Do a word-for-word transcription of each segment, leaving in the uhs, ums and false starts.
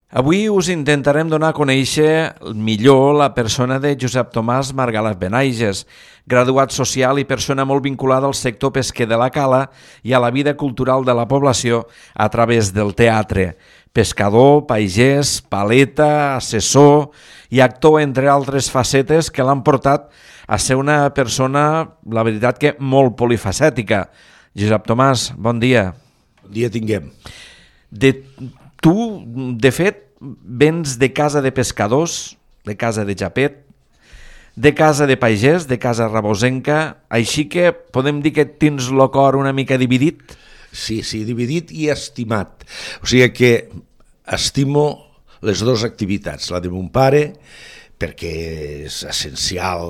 Avui us intentarem donar a conèixer millor la persona de Josep Tomàs Margalef Benaiges, graduat social i persona molt vinculada al sector pesquer de la Cala i a la vida cultural de la població a través del teatre. Pescador, pagès, paleta, assessor i actor, entre altres facetes que l'han portat a ser una persona, la veritat que molt polifacètica. Josep Tomàs, bon dia. Bon dia tinguem. De, tu, de fet, vens de casa de pescadors, de casa de Japet, de casa de pagès, de casa rabosenca, així que podem dir que tens el cor una mica dividit? Sí, sí, dividit i estimat. O sigui que estimo les dues activitats, la de mon pare, perquè és essencial,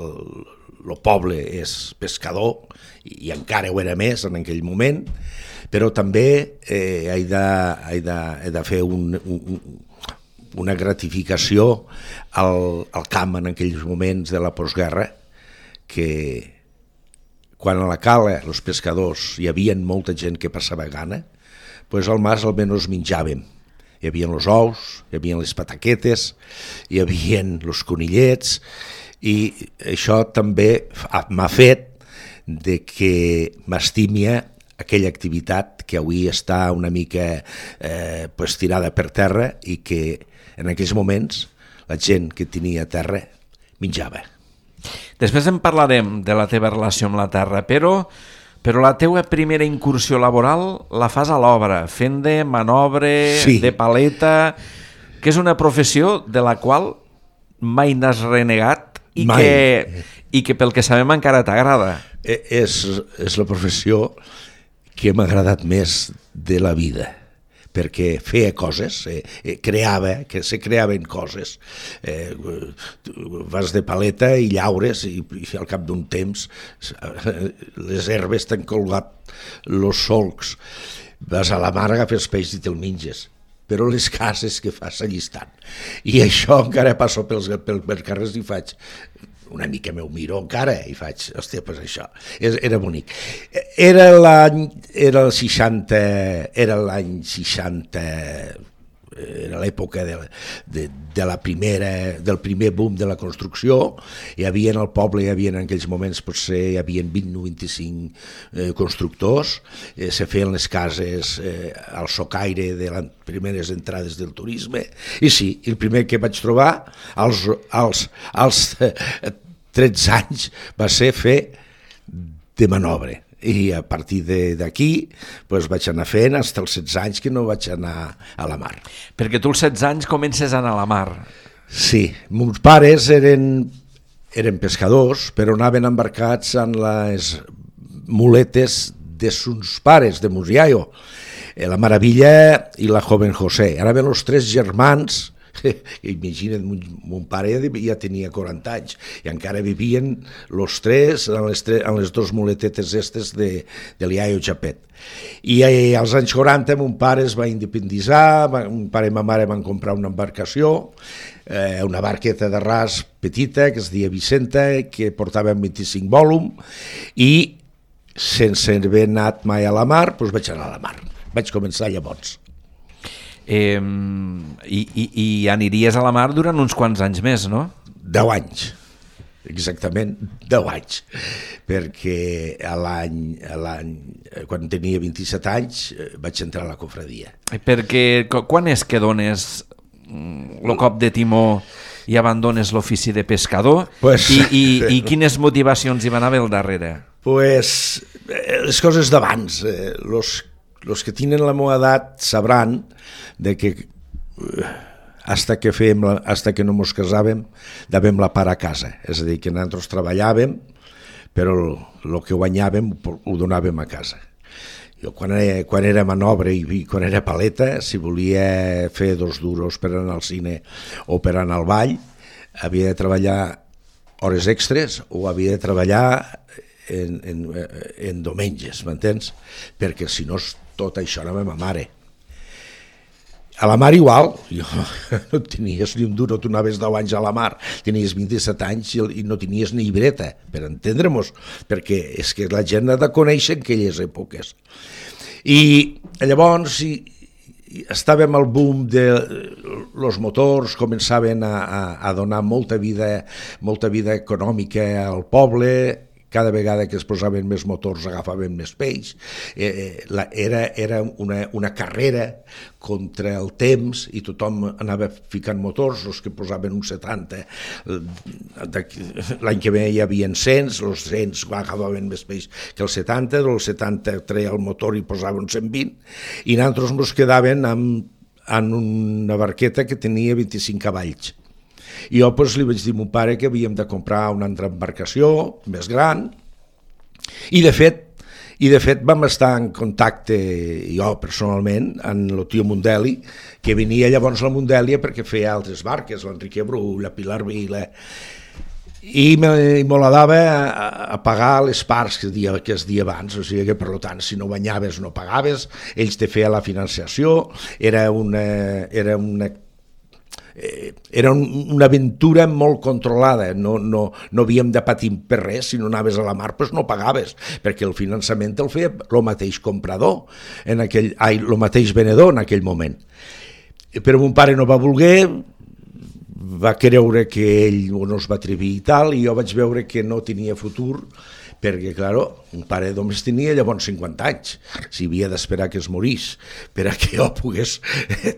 el poble és pescador, i encara ho era més en aquell moment, però també eh, he, de, he, de, he de fer un, un, una gratificació al, al camp en aquells moments de la postguerra, que quan a la Cala els pescadors hi havia molta gent que passava gana, doncs al mas almenys menjàvem. Hi havia els ous, hi havia les pataquetes, hi havia els conillets, i això també m'ha fet de que m'estimia aquella activitat que avui està una mica eh, pues, tirada per terra i que en aquells moments la gent que tenia terra menjava. Després en parlarem de la teva relació amb la terra, però, però la teva primera incursió laboral la fas a l'obra, fent de manobre, sí. de paleta, que és una professió de la qual mai n'has renegat i que, i que pel que sabem encara t'agrada. És, és la professió que m'ha agradat més de la vida, perquè feia coses, eh, creava, que se creaven coses, eh, vas de paleta i llaures i, i al cap d'un temps les herbes t'han colgat els solcs, vas a la mar, agafes peix i te'l menges, però les cases que fas allistant. I això encara passo pels, pels, pels carrers i faig, una mica meu miro encara i faig, hòstia, doncs això, era bonic. Era l'any, era el seixanta, era l'any seixanta, era l'època de, de, de la primera, del primer boom de la construcció. Hi havia en el poble, hi havia en aquells moments, potser hi havia vint o vint-i-cinc eh, constructors, eh, se feien les cases eh, al socaire de les primeres entrades del turisme, i sí, el primer que vaig trobar als, als, als tretze anys va ser fer de manobre. I a partir d'aquí pues, vaig anar fent fins als setze anys que no vaig anar a la mar. Perquè tu als setze anys comences a anar a la mar. Sí, meus pares eren, eren pescadors, però anaven embarcats en les muletes de sus pares, de meus iaio, la Maravilla i la Joven José. Anaven els tres germans. Imagina't, mon pare ja tenia quaranta anys i encara vivien els tres en les, tres, en les dos muletetes estes de, de l'Iaio Japet. I eh, als anys quaranta mon pare es va independitzar, mon pare i ma mare van comprar una embarcació, eh, una barqueta de ras petita que es deia Vicenta, que portava vint-i-cinc volum, i sense haver anat mai a la mar, doncs vaig anar a la mar. Vaig començar llavors. Eh, i, i, I aniries a la mar durant uns quants anys més, no? Deu anys, exactament deu anys, perquè a l'any, a l'any, quan tenia vint-i-set anys vaig entrar a la cofradia. Perquè quan és que dones el cop de timó i abandones l'ofici de pescador? Pues, I, i, I quines motivacions hi van haver al darrere? Pues, les coses d'abans, eh, los Els que tenen la meva edat sabran de que hasta que, fèiem la, hasta que no mos casàvem dàvem la part a casa, és a dir, que nosaltres treballàvem, però el que guanyàvem ho donàvem a casa. Jo quan era, quan era manobre i quan era paleta, si volia fer dos duros per anar al cine o per anar al ball, havia de treballar hores extres o havia de treballar en, en, en diumenges, m'entens? Perquè si no tot això anava a ma mare. A la mar igual, jo, no tenies ni un duro, tu anaves deu anys a la mar, tenies vint-i-set anys i no tenies ni llibreta, per entendre-mos, perquè és que la gent ha de conèixer aquelles èpoques. I llavors, estàvem al boom de los motors, començaven a, a, a donar molta vida, molta vida econòmica al poble. Cada vegada que es posaven més motors agafaven més peix. Eh, la, era era una, una carrera contra el temps i tothom anava ficant motors, els que posaven uns setanta. L'any que ve hi havia cent, els cent agafaven més peix que els setanta, els setanta treia el motor i posaven cent vint, i nosaltres ens quedaven amb, en una barqueta que tenia vint-i-cinc cavalls. I jo doncs, li vaig dir a mon pare que havíem de comprar una altra embarcació més gran i de fet i de fet vam estar en contacte jo personalment amb el tio Mundeli, que venia llavors a la Mundèlia perquè feia altres barques, l'Enrique Bru, la Pilar Vila, i m'agradava a, a pagar les parts que es dia, que es dia abans, o sigui que per tant si no guanyaves no pagaves, ells te feien la financiació, era una, era una era una aventura molt controlada, no, no, no havíem de patir per res, si no anaves a la mar doncs no pagaves, perquè el finançament el feia el mateix comprador, en aquell, ai, el mateix venedor en aquell moment. Però mon pare no va voler, va creure que ell no es va atrevir i tal, i jo vaig veure que no tenia futur, perquè, clar, un pare només tenia llavors cinquanta anys, si havia d'esperar que es morís per a que jo pogués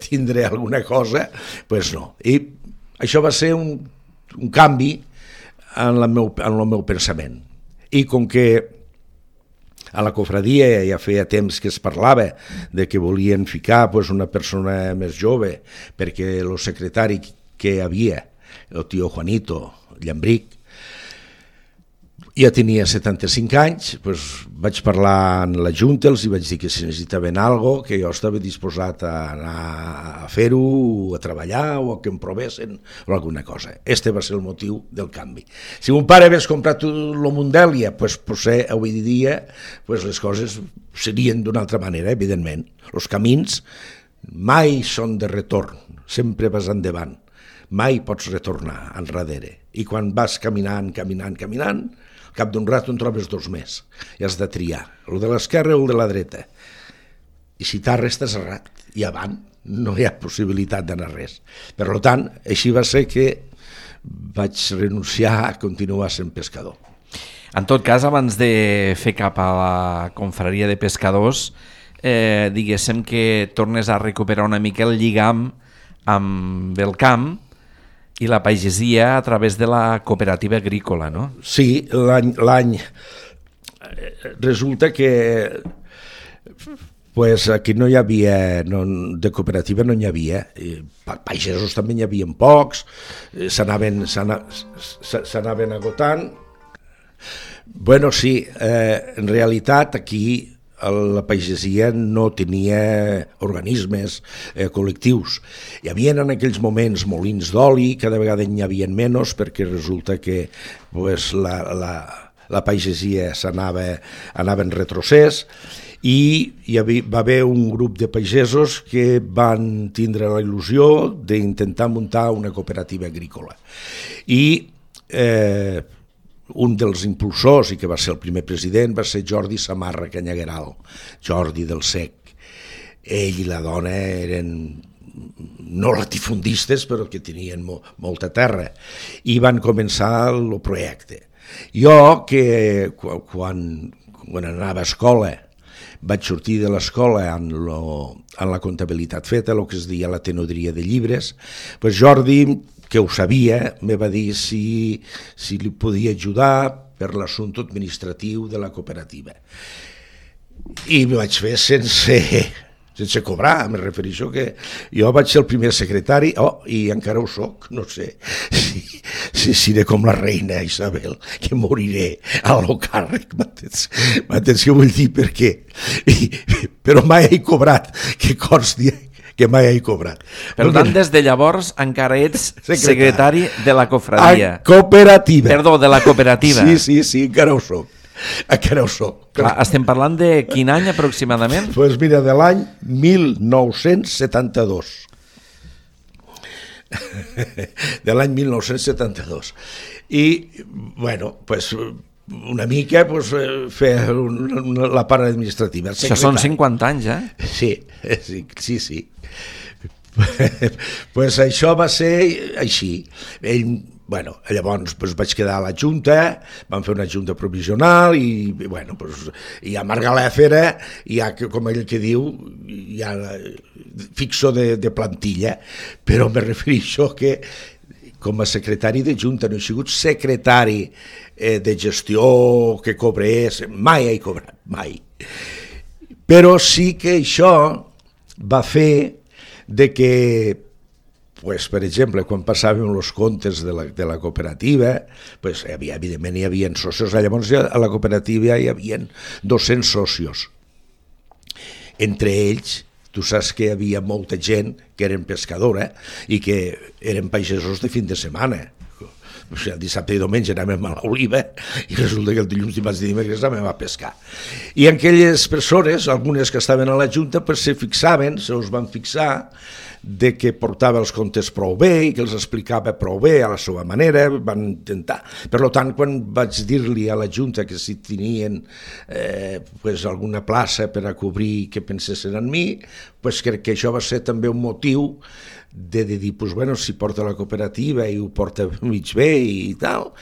tindre alguna cosa, doncs no. I això va ser un, un canvi en, la meu, en el meu pensament. I com que a la cofradia ja feia temps que es parlava de que volien ficar pues, una persona més jove, perquè el secretari que hi havia, el tio Juanito Llambric, ja tenia setanta-cinc anys, doncs vaig parlar amb la Junta, els vaig dir que si necessitaven alguna cosa, que jo estava disposat a anar a fer-ho, a treballar o a que em provessin o alguna cosa. Este va ser el motiu del canvi. Si mon pare hagués comprat el Mundèlia, doncs potser avui dia pues, les coses serien d'una altra manera, evidentment. Els camins mai són de retorn, sempre vas endavant, mai pots retornar enrere. I quan vas caminant, caminant, caminant, al cap d'un rato en trobes dos més, i has de triar, el de l'esquerra o el de la dreta. I si t'arres t'has errat, i avant no hi ha possibilitat d'anar res. Per tant, així va ser que vaig renunciar a continuar sent pescador. En tot cas, abans de fer cap a la confraria de pescadors, eh, diguéssim que tornes a recuperar una mica el lligam amb el camp i la pagesia a través de la cooperativa agrícola, no? Sí, l'any... l'any resulta que pues, aquí no hi havia, no, de cooperativa no n'hi havia, pagesos també n'hi havia pocs, s'anaven s'anaven agotant. Bueno, sí, eh, en realitat aquí la pagesia no tenia organismes eh, col·lectius. Hi havia en aquells moments molins d'oli, cada vegada n'hi havia menys perquè resulta que pues, la, la, la pagesia s'anava anava en retrocés i hi havia, va haver un grup de pagesos que van tindre la il·lusió d'intentar muntar una cooperativa agrícola. I eh, un dels impulsors, i que va ser el primer president, va ser Jordi Samarra Canyagueral, Jordi del Sec. Ell i la dona eren no latifundistes, però que tenien mo, molta terra, i van començar el projecte. Jo, que quan, quan anava a escola, vaig sortir de l'escola en, lo, en la comptabilitat feta, el que es deia la tenodria de llibres, pues Jordi, que ho sabia, me va dir si, si li podia ajudar per l'assumpte administratiu de la cooperativa. I m'ho vaig fer sense, sense cobrar, me refereixo que jo vaig ser el primer secretari, oh, i encara ho soc, no sé si, si seré com la reina Isabel, que moriré a lo càrrec, m'entens? M'entens què vull dir? Per què? I, però mai he cobrat, que consti que mai he cobrat. Per tant, des de llavors encara ets secretari, secretari de la cofradia. A cooperativa. Perdó, de la cooperativa. Sí, sí, sí, encara ho soc. Encara ho soc. Clar, estem parlant de quin any aproximadament? Doncs pues mira, de l'any mil nou-cents setanta-dos. De l'any mil nou-cents setanta-dos. I, bueno, doncs... Pues, una mica pues, fer una, una, la part administrativa. Això són cinquanta anys, eh? Sí, sí, sí. sí. Pues això va ser així. Ell, bueno, llavors pues, vaig quedar a la Junta, vam fer una Junta provisional i, bueno, pues, ja Margalef era, ja, com ell que diu, ja fixo de, de plantilla, però me refereixo que com a secretari de Junta no he sigut secretari eh, de gestió que cobrés, mai he cobrat, mai. Però sí que això va fer de que, pues, per exemple, quan passàvem els comptes de la, de la cooperativa, pues, hi havia, evidentment hi havia socios, llavors a la cooperativa hi havia dos-cents socios. Entre ells, tu saps que hi havia molta gent que eren pescadora i que eren pagesos de fin de setmana. O sigui, el dissabte i diumenge anàvem a l'oliva i resulta que el dilluns, dimarts i dimecres anàvem a pescar. I aquelles persones, algunes que estaven a la Junta, pues, se fixaven, se us van fixar de que portava els comptes prou bé i que els explicava prou bé a la seva manera, van intentar. Per tant, quan vaig dir-li a la Junta que si tenien eh, pues, alguna plaça per a cobrir que pensessin en mi, pues, crec que això va ser també un motiu de, de dir, pues, bueno, si porta la cooperativa i ho porta mig bé i tal,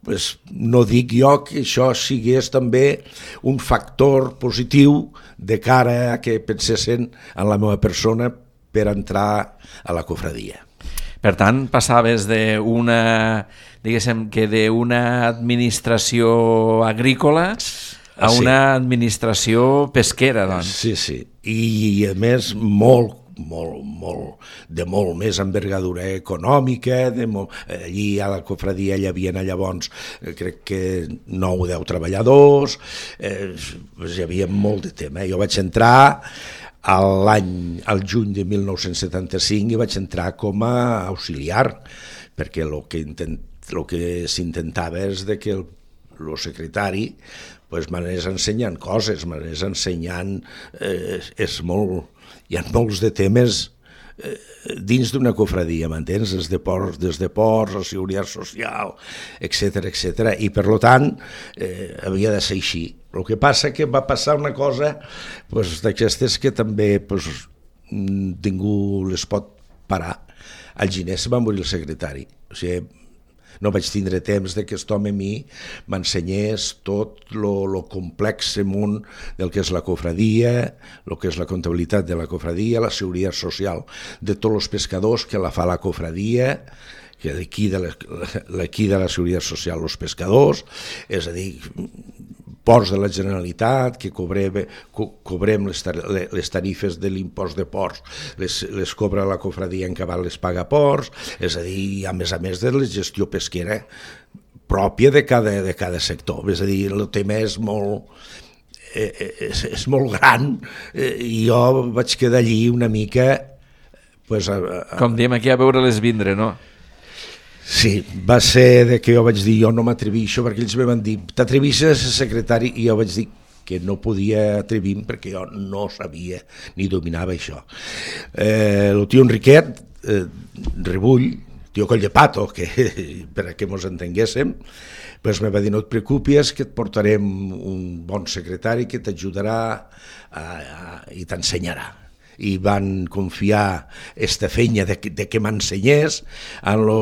pues, no dic jo que això sigués també un factor positiu de cara a que pensessin en la meva persona per entrar a la cofradia. Per tant, passaves d'una, diguéssim, que d'una administració agrícola a una sí. administració pesquera, doncs. Sí, sí, i a més molt, molt, molt, de molt més envergadura econòmica, de molt, allí a la cofradia hi havia llavors, crec que nou o deu treballadors, eh, hi havia molt de tema. Jo vaig entrar l'any, al juny de mil nou-cents setanta-cinc i vaig entrar com a auxiliar, perquè el que, intent, el que s'intentava és de que el, el secretari pues, m'anés ensenyant coses, m'anés ensenyant, eh, és molt, hi ha molts de temes eh, dins d'una cofradia, m'entens? Des de ports, des de ports, la seguretat social, etcètera, etcètera, i per tant eh, havia de ser així. El que passa que va passar una cosa pues, d'aquestes que també pues, ningú les pot parar. Al gener se va morir el secretari. O sigui, no vaig tindre temps de que aquest home a mi m'ensenyés tot el complex món del que és la cofradia, el que és la comptabilitat de la cofradia, la seguretat social de tots els pescadors que la fa la cofradia, que liquida la, liquida la seguretat social als pescadors, és a dir, ports de la Generalitat, que cobrem, co cobrem les, tar les tarifes de l'impost de ports, les, les cobra la cofradia en cabal, les paga ports, és a dir, a més a més de la gestió pesquera pròpia de cada, de cada sector. És a dir, el tema és molt, eh, és, és molt gran eh, i jo vaig quedar allí una mica... Pues, a, a... Com diem aquí, a veure-les vindre, no? Sí, va ser de que jo vaig dir jo no m'atrevixo, perquè ells me van dir t'atrevisses a ser secretari, i jo vaig dir que no podia atrevir-me perquè jo no sabia ni dominava això. Eh, el tio Enriquet, eh, Rebull, tio Coll de Pato, que, per a que mos entenguéssim, pues me va dir no et preocupis que et portarem un bon secretari que t'ajudarà i t'ensenyarà. I van confiar esta feina de que, de que m'ensenyés en lo,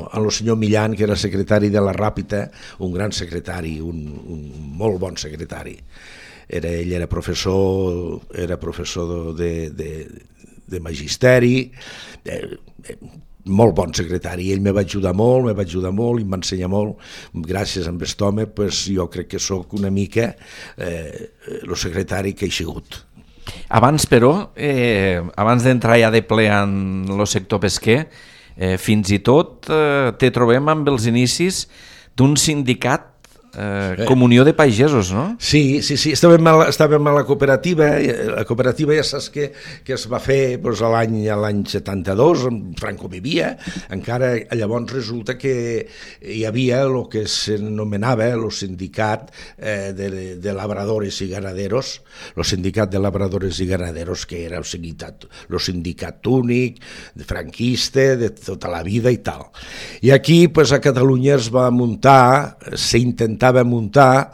en lo senyor Millan, que era secretari de la Ràpita, un gran secretari, un, un molt bon secretari. Era, ell era professor, era professor de, de, de magisteri, eh, eh, molt bon secretari, ell me va ajudar molt, me va ajudar molt i m'ensenyar molt. Gràcies a aquest home, pues, jo crec que sóc una mica eh, el secretari que he sigut. Abans, però, eh, abans d'entrar ja de ple en el sector pesquer, eh, fins i tot eh, te trobem amb els inicis d'un sindicat, eh, Comunió de Pagesos, no? Sí, sí, sí, estàvem a la, estàvem a la cooperativa, la cooperativa ja saps que, que es va fer doncs, a l'any l'any setanta-dos, Franco vivia, encara llavors resulta que hi havia el que s'anomenava el sindicat eh, de, de labradores i ganaderos, el sindicat de labradores i ganaderos, que era el sindicat, el sindicat únic, franquista, de tota la vida i tal. I aquí, pues, a Catalunya es va muntar, s'intentava intentava muntar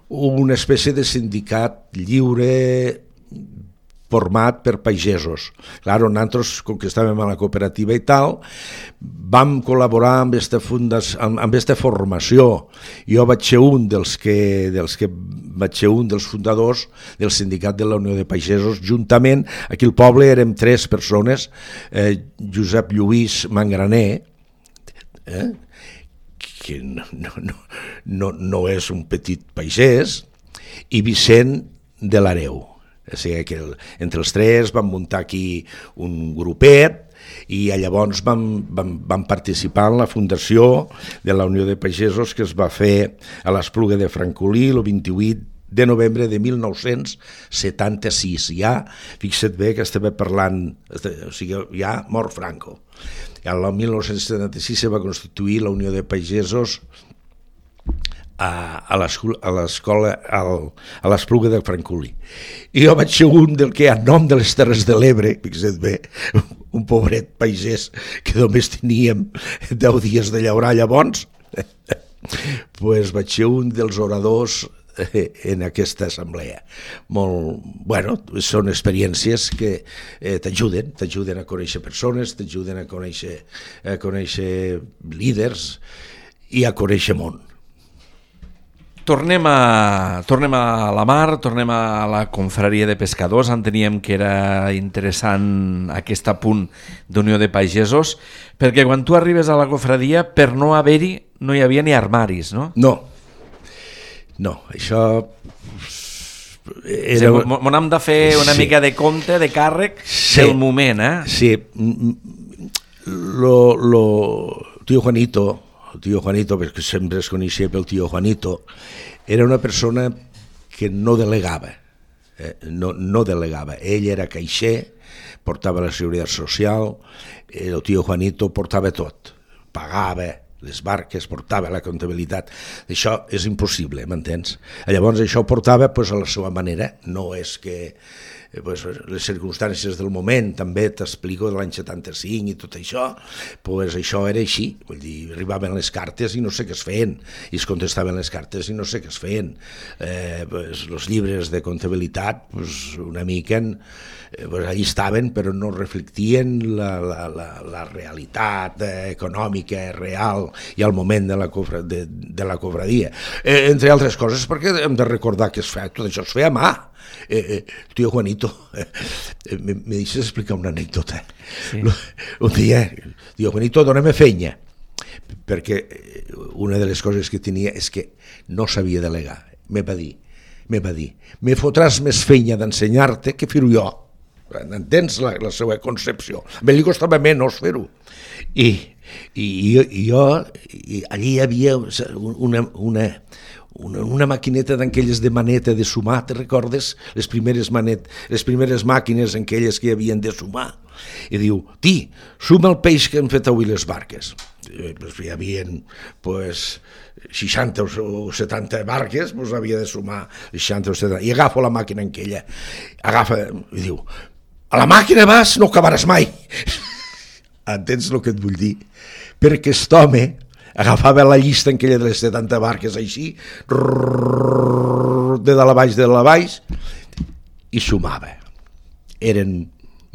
una espècie de sindicat lliure format per pagesos. Clar, nosaltres, com que estàvem a la cooperativa i tal, vam col·laborar amb aquesta fundació, amb, amb aquesta formació. Jo vaig ser un dels que, dels que vaig ser un dels fundadors del sindicat de la Unió de Pagesos, juntament, aquí al poble érem tres persones, eh, Josep Lluís Mangraner, eh, que no, no, no, no és un petit pagès, i Vicent de l'Areu. O sigui que el, entre els tres vam muntar aquí un grupet i llavors vam, vam, vam participar en la fundació de la Unió de Pagesos que es va fer a l'Espluga de Francolí el vint-i-vuit de novembre de mil nou-cents setanta-sis. Ja, fixa't bé que estava parlant, o sigui, ja mort Franco. El mil nou-cents setanta-sis se va constituir la Unió de Pagesos a l'escola, a l'Espluga de Francolí. I jo vaig ser un del que, a nom de les Terres de l'Ebre, fixa't bé, un pobret pagès que només teníem deu dies de llaurar llavors, pues vaig ser un dels oradors en aquesta assemblea. Molt, bueno, són experiències que eh, t'ajuden, t'ajuden a conèixer persones, t'ajuden a conèixer, a conèixer líders i a conèixer món. Tornem a, tornem a la mar, tornem a la confraria de pescadors. Enteníem que era interessant aquest apunt d'Unió de Pagesos, perquè quan tu arribes a la confraria, per no haver-hi, no hi havia ni armaris, no? No, no, això... Era... Sí, m'ho hem de fer una sí. mica de compte, de càrrec sí. del moment, eh? Sí, lo, lo... Tío Juanito... el tio Juanito, perquè sempre es coneixia pel tio Juanito, era una persona que no delegava, eh? no, no delegava. Ell era caixer, portava la seguretat social, el tio Juanito portava tot, pagava les barques, portava la comptabilitat. Això és impossible, m'entens? Llavors això ho portava pues, a la seva manera, no és que... Pues, les circumstàncies del moment, també t'explico de l'any setanta-cinc i tot això, pues això era així, vull dir, arribaven les cartes i no sé què es feien, i es contestaven les cartes i no sé què es feien. Eh, pues, els llibres de comptabilitat, pues, una mica, eh, pues, allí estaven, però no reflectien la, la, la, la realitat eh, econòmica, real, i al moment de la, cofra, de, de la cofradia. Eh, entre altres coses, perquè hem de recordar que es feia, tot això es feia a mà. Eh, eh, tío Juanito, eh, me, me deixes explicar una anècdota. Sí. Un dia, tío Juanito, dóna'm feina, perquè una de les coses que tenia és que no sabia delegar. Me va dir, me va dir, me fotràs més feina d'ensenyar-te que fer-ho jo. Entens la, la seva concepció? A mi li costava menys fer-ho. I, i, i jo, i allí hi havia una... una Una, una maquineta d'aquelles de maneta de sumar, te recordes? Les primeres, manet, les primeres màquines en aquelles que hi havien de sumar. I diu, ti, suma el peix que han fet avui les barques. I, pues, hi havia pues, seixanta o setanta barques, pues, havia de sumar seixanta o setanta. I agafo la màquina en aquella, agafa, i diu, a la màquina vas, no acabaràs mai. Entens el que et vull dir? Perquè aquest home agafava la llista en aquella de les setanta barques així, de dalt a baix, de dalt a baix, i sumava. Eren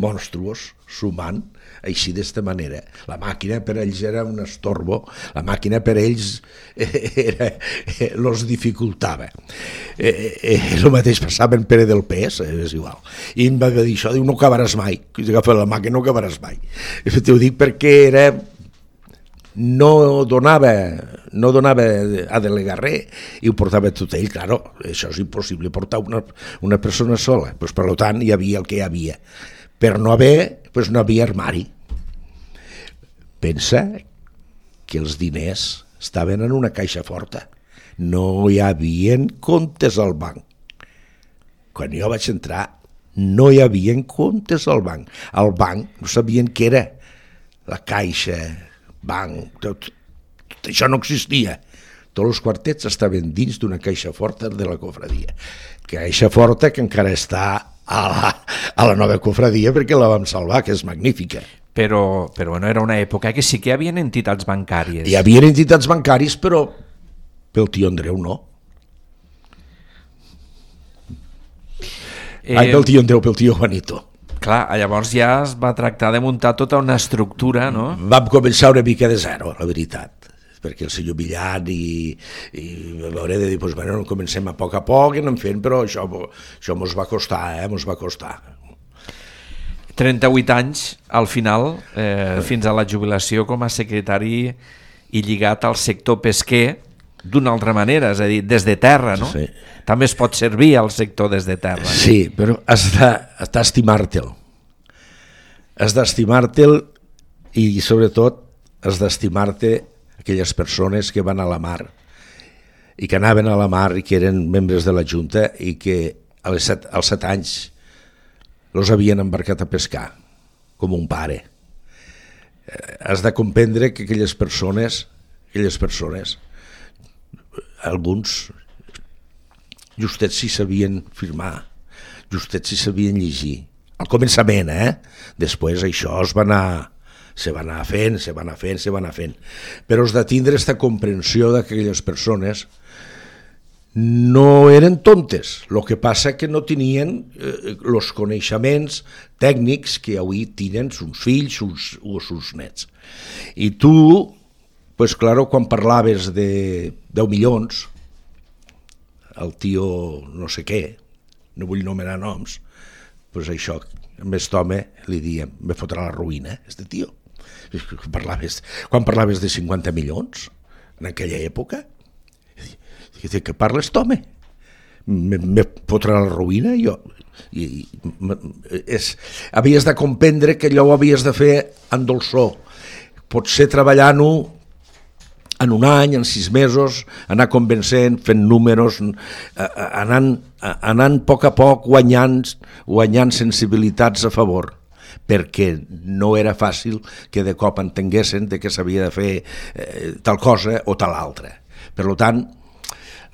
monstruos sumant així d'esta manera. La màquina per ells era un estorbo, la màquina per ells era, los dificultava. Eh, eh, el mateix passava en Pere del Pes, eh, és igual. I em va dir això, diu, no acabaràs mai, que agafa la màquina, no acabaràs mai. T'ho dic perquè era... no donava, no donava a delegar res i ho portava tot ell. Claro, això és impossible portar una, una persona sola, pues, per tant hi havia el que hi havia. Per no haver, pues, no havia armari. Pensa que els diners estaven en una caixa forta, no hi havia comptes al banc. Quan jo vaig entrar no hi havia comptes al banc. Al banc no sabien què era la caixa, banc, tot, tot això no existia. Tots els quartets estaven dins d'una caixa forta de la cofradia. Caixa forta que encara està a la, a la nova cofradia perquè la vam salvar, que és magnífica. Però, però bueno, era una època que sí que hi havia entitats bancàries. Hi havia entitats bancàries, però pel tio Andreu no. Eh, Ai, pel tio Andreu, pel tio Juanito. Clar, llavors ja es va tractar de muntar tota una estructura, no? Vam començar una mica de zero, la veritat, perquè el senyor Millan i, i m'hauré de dir, doncs, bueno, comencem a poc a poc i anem fent, però això, això mos va costar, eh, mos va costar. trenta-vuit anys, al final, eh, fins a la jubilació com a secretari i lligat al sector pesquer d'una altra manera, és a dir, des de terra, no? Sí. També es pot servir al sector des de terra. Sí, però has d'estimar-te'l. Has d'estimar-te'l i, sobretot, has d'estimar-te aquelles persones que van a la mar i que anaven a la mar i que eren membres de la Junta i que als set, als set anys els havien embarcat a pescar, com un pare. Eh, has de comprendre que aquelles persones, aquelles persones, alguns justets s'hi sabien firmar, justets s'hi sabien llegir. Al començament, eh? Després això es va anar, se va anar fent, se va anar fent, se va anar fent. Però has de tindre aquesta comprensió que aquelles persones no eren tontes, el que passa que no tenien els eh, coneixements tècnics que avui tenen sus fills sus, o sus nets. I tu, pues claro, quan parlaves de deu milions, el tio no sé què, no vull nomenar noms, pues això, a aquest home li diem, me fotrà la ruïna, este tio. Parlaves, quan parlaves de cinquanta milions, en aquella època, de què parles, home? Me, me fotrà la ruïna? Jo, i, és, havies de comprendre que allò ho havies de fer en dolçor. Potser treballant-ho en un any, en sis mesos, anar convencent, fent números, anant, anant a poc a poc guanyant, guanyant sensibilitats a favor, perquè no era fàcil que de cop entenguessin de que s'havia de fer eh, tal cosa o tal altra. Per tant,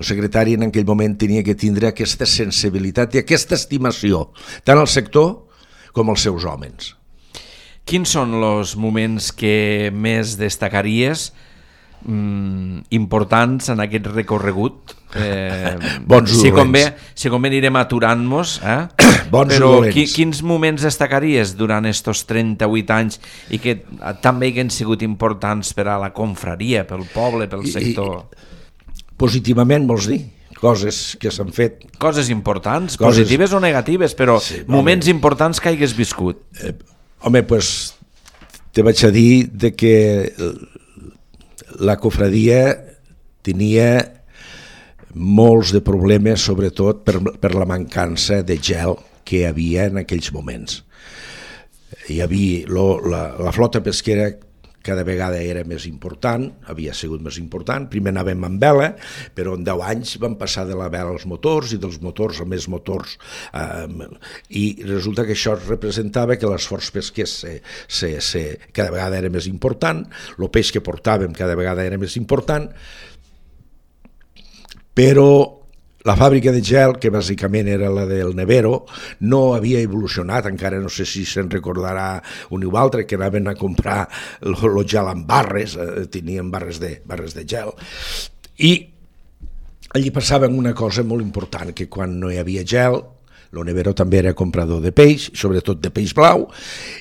el secretari en aquell moment tenia que tindre aquesta sensibilitat i aquesta estimació, tant al sector com als seus homes. Quins són els moments que més destacaries mm, importants en aquest recorregut? Eh, Bons si dolents. convé, si convé anirem aturant-nos, eh? Bons però dolents. qui, quins moments destacaries durant estos trenta-vuit anys i que també han sigut importants per a la confraria, pel poble, pel sector? I, i, positivament vols dir? Coses que s'han fet. Coses importants, Coses... positives o negatives, però sí, moments home. importants que hagués viscut. Eh, home, doncs te vaig a dir de que la cofradia tenia molts de problemes, sobretot per, per la mancança de gel que hi havia en aquells moments. Hi havia lo, la, la flota pesquera cada vegada era més important, havia sigut més important. Primer anàvem amb vela, però en deu anys vam passar de la vela als motors i dels motors a més motors. Eh, I resulta que això representava que l'esforç pesquer se, se, se, cada vegada era més important, el peix que portàvem cada vegada era més important, però la fàbrica de gel, que bàsicament era la del Nevero, no havia evolucionat, encara no sé si se'n recordarà un o altre, que anaven a comprar el gel en barres, eh, tenien barres de, barres de gel, i allí passava una cosa molt important, que quan no hi havia gel, el Nevero també era comprador de peix, sobretot de peix blau,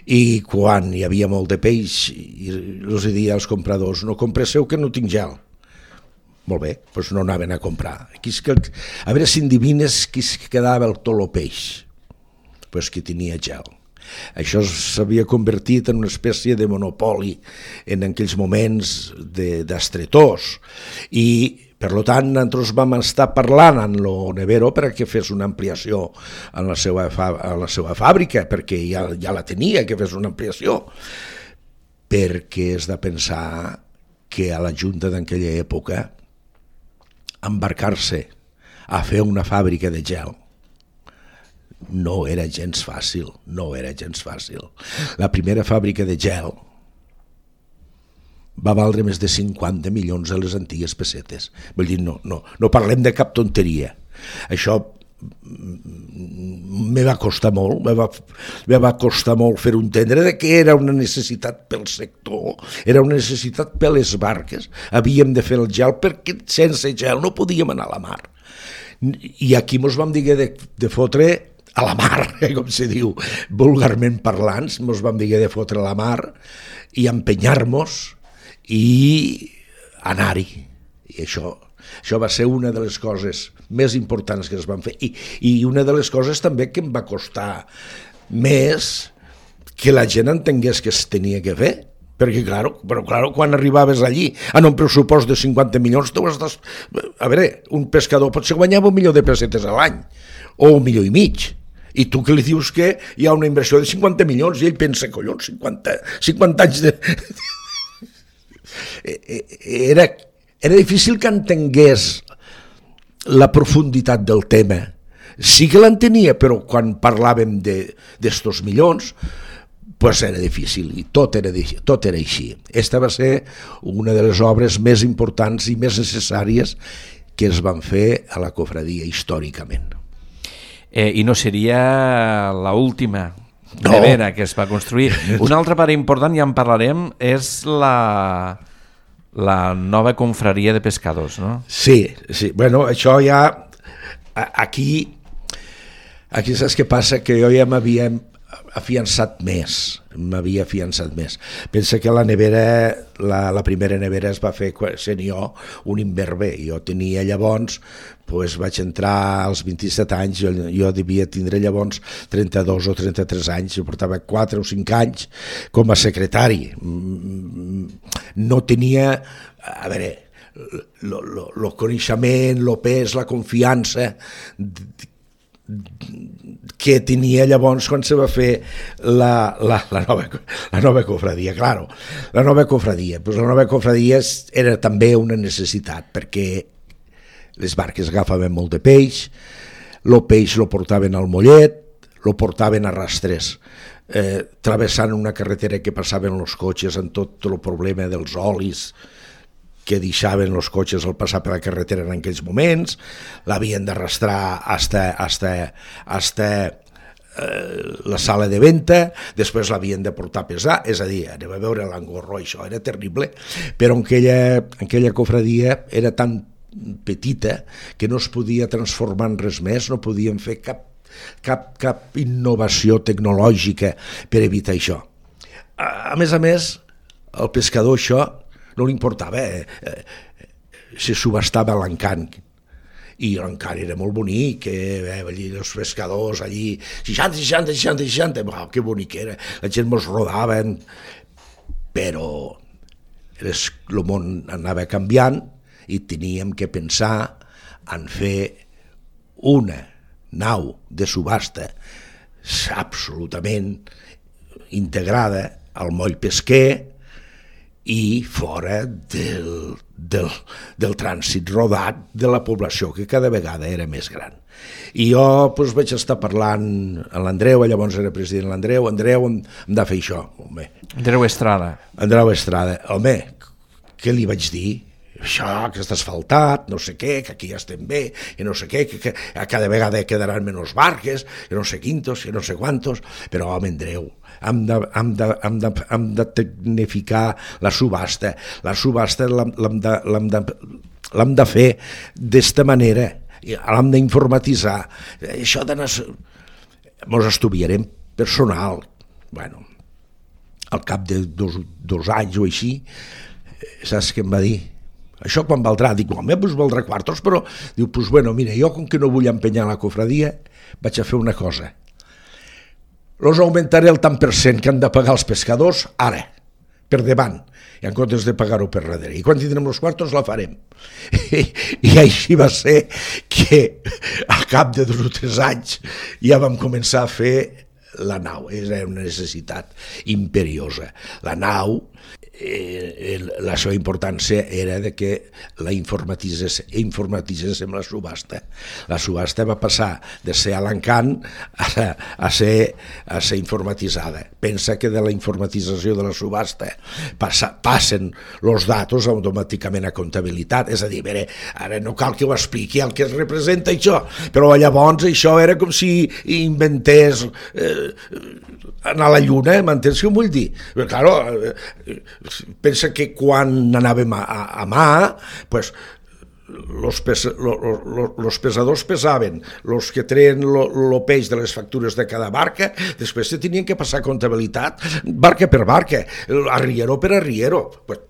i quan hi havia molt de peix, els deia als compradors, no compresseu que no tinc gel. Molt bé, doncs no anaven a comprar. Aquí és que, a veure si endivines qui es quedava el tot el peix, doncs que tenia gel. Això s'havia convertit en una espècie de monopoli en aquells moments d'estretors i per tant nosaltres vam estar parlant amb el Nevero perquè fes una ampliació en la seva, a la seva fàbrica, perquè ja, ja la tenia, que fes una ampliació, perquè has de pensar que a la Junta d'aquella època embarcar-se a fer una fàbrica de gel no era gens fàcil, no era gens fàcil. La primera fàbrica de gel va valdre més de cinquanta milions de les antigues pessetes. Vull dir, no, no, no parlem de cap tonteria. Això me va costar molt, me va, me va costar molt fer-ho entendre que era una necessitat pel sector, era una necessitat per les barques, havíem de fer el gel perquè sense gel no podíem anar a la mar. I aquí mos vam dir de, de fotre a la mar, com se diu, vulgarment parlants, mos vam dir de fotre a la mar i empenyar-nos i anar-hi. I això, això va ser una de les coses més importants que es van fer i, i una de les coses també que em va costar més que la gent entengués que es tenia que fer, perquè claro, però claro, quan arribaves allí en un pressupost de cinquanta milions tu estàs, a veure, un pescador potser guanyava un milió de pessetes a l'any o un milió i mig, i tu que li dius que hi ha una inversió de cinquanta milions i ell pensa, collons, cinquanta, cinquanta anys de... era, era difícil que entengués la profunditat del tema. Sí que l'entenia, però quan parlàvem d'estos milions, pues era difícil, i tot era, tot era així. Esta va ser una de les obres més importants i més necessàries que es van fer a la cofradia històricament. Eh, I no seria l'última nevera no. que es va construir. Una altra part important, ja en parlarem, és la... la nova confraria de pescadors, no? Sí, sí. Bueno, això ja... Aquí, aquí saps què passa? Que jo ja m'havia afiançat més, m'havia afiançat més. Pensa que la nevera, la, la primera nevera es va fer sent jo un inverber. Jo tenia llavors, pues vaig entrar als vint-i-set anys, jo, jo devia tindre llavors trenta-dos o trenta-tres anys, jo portava quatre o cinc anys com a secretari. No tenia, a veure, el coneixement, el pes, la confiança que tenia llavors quan se va fer la, la, la, nova, la nova cofradia. Claro, la nova cofradia, pues la nova cofradia era també una necessitat, perquè les barques agafaven molt de peix, el peix lo portaven al mollet, lo portaven a rastres, eh, travessant una carretera que passaven els cotxes amb tot el problema dels olis que deixaven els cotxes al passar per la carretera en aquells moments, l'havien d'arrastrar hasta, hasta, hasta eh, la sala de venta, després l'havien de portar a pesar, és a dir, anem a veure l'engorro, això era terrible, però en aquella, en aquella cofradia era tan petita que no es podia transformar en res més, no podien fer cap, cap, cap innovació tecnològica per evitar això. A, a més a més, el pescador això no li importava, eh, eh, se subhastava l'encant, i l'encant era molt bonic, eh, allí els pescadors, allí, seixanta, seixanta, seixanta, seixanta, oh, que bonic era, la gent mos rodaven, però el món anava canviant i teníem que pensar en fer una nau de subhasta absolutament integrada al moll pesquer i fora del, del, del trànsit rodat de la població, que cada vegada era més gran. I jo doncs, vaig estar parlant amb l'Andreu, llavors era president l'Andreu, Andreu, hem, hem de fer això. Home. Andreu Estrada. Andreu Estrada. Home, què li vaig dir? Això, que està asfaltat, no sé què, que aquí ja estem bé, que no sé què, que, que cada vegada quedaran menys barques, que no sé quintos, que no sé quantos, però home, Andreu, hem de, hem de, hem de, hem de tecnificar la subhasta, la subhasta l'hem de, l'hem de, l'hem de fer d'esta manera, l'hem d'informatitzar, això d'anar... Mos estudiarem personal, bueno, al cap de dos, dos anys o així, saps què em va dir? Això quan valdrà? Dic, home, doncs valdrà quartos, però diu, doncs bueno, mira, jo com que no vull empenyar la cofradia, vaig a fer una cosa. Los augmentaré el tant per cent que han de pagar els pescadors ara, per davant, i en comptes de pagar-ho per darrere. I quan tindrem els quartos la farem. I, i així va ser que al cap de dos o tres anys ja vam començar a fer la nau. Era una necessitat imperiosa. La nau eh, la seva importància era de que la informatitzés, informatitzéssim la subhasta. La subhasta va passar de ser a l'encant a, a, ser, a ser informatitzada. Pensa que de la informatització de la subhasta passa, passen els datos automàticament a comptabilitat, és a dir, veure, ara no cal que ho expliqui el que es representa això, però llavors això era com si inventés eh, anar a la lluna, m'entens què em vull dir? Però, claro, eh, pensa que quan anàvem a, a, a mà, pues, los, pes, lo, lo, los pesadors pesaven, los que treien el peix de les factures de cada barca, després se tenien que passar comptabilitat barca per barca, arriero per arriero. Pues,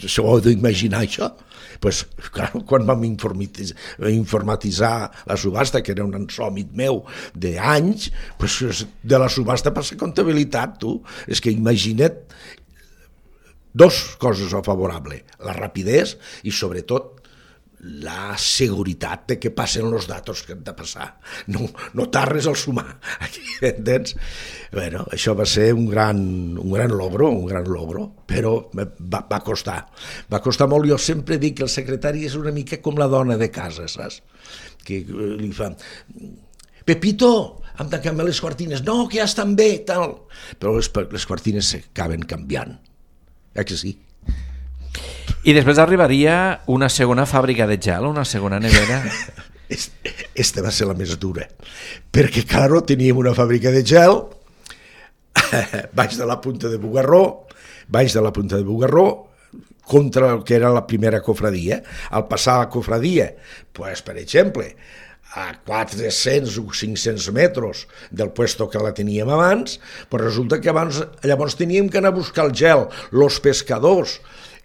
s'ho heu d'imaginar això? Pues, clar, quan vam informatitzar, informatitzar la subhasta, que era un ensòmit meu d'anys, pues, de la subhasta passa comptabilitat, tu. És que imagina't dos coses a favorable, la rapidesa i sobretot la seguretat de que passen els datos que han de passar. No, no tardes al sumar, entens? Bueno, això va ser un gran, un gran logro, un gran logro, però va, va costar. Va costar molt. Jo sempre dic que el secretari és una mica com la dona de casa, saps? Que li fa... Pepito, hem de canviar les cortines. No, que ja estan bé, tal. Però les, les cortines s'acaben canviant. Eh que sí? I després arribaria una segona fàbrica de gel, una segona nevera. Esta va ser la més dura, perquè, claro, teníem una fàbrica de gel baix de la Punta de Bugarró, baix de la Punta de Bugarró, contra el que era la primera cofradia. Al passar a la cofradia, pues, per exemple, a quatre-cents o cinc-cents metres del puesto que la teníem abans, pues resulta que abans, llavors teníem que anar a buscar el gel, los pescadors,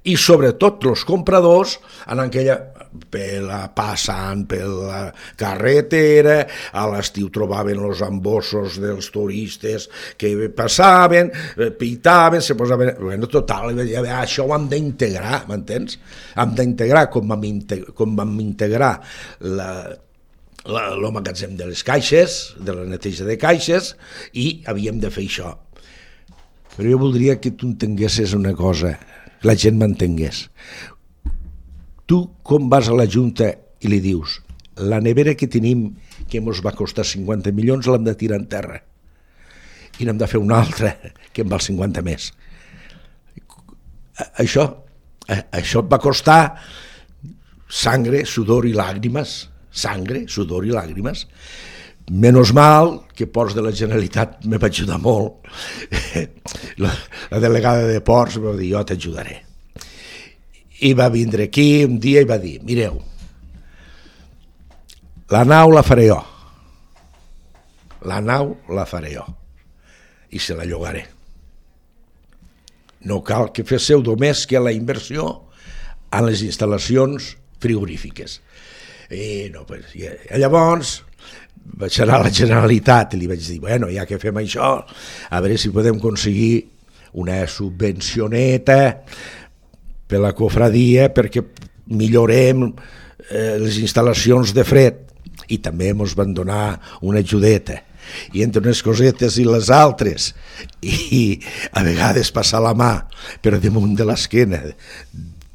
i sobretot els compradors anant aquella, per la, passant per la carretera, a l'estiu trobaven els embossos dels turistes que passaven, pitaven, se posaven... Bueno, total, això ho hem d'integrar, m'entens? Hem d'integrar com vam, integrar, com vam integrar la... el magatzem de les caixes, de la neteja de caixes, i havíem de fer això. Però jo voldria que tu entenguessis una cosa, que la gent m'entengués. Tu, com vas a la Junta i li dius la nevera que tenim, que ens va costar cinquanta milions, l'hem de tirar en terra i n'hem de fer una altra que en val cinquanta més. Això, això et va costar sangre, sudor i làgrimes, sangre, sudor i làgrimes. Menos mal que Ports de la Generalitat me va ajudar molt. La, la delegada de Ports va dir, jo t'ajudaré. I va vindre aquí un dia i va dir, mireu, la nau la faré jo. La nau la faré jo. I se la llogaré. No cal que féssiu només que la inversió en les instal·lacions frigorífiques. I no, pues, i llavors vaig anar a la Generalitat i li vaig dir, bueno, ja que fem això, a veure si podem aconseguir una subvencioneta per la cofradia perquè millorem eh, les instal·lacions de fred, i també ens van donar una ajudeta. I entre unes cosetes i les altres, i a vegades passar la mà per damunt de l'esquena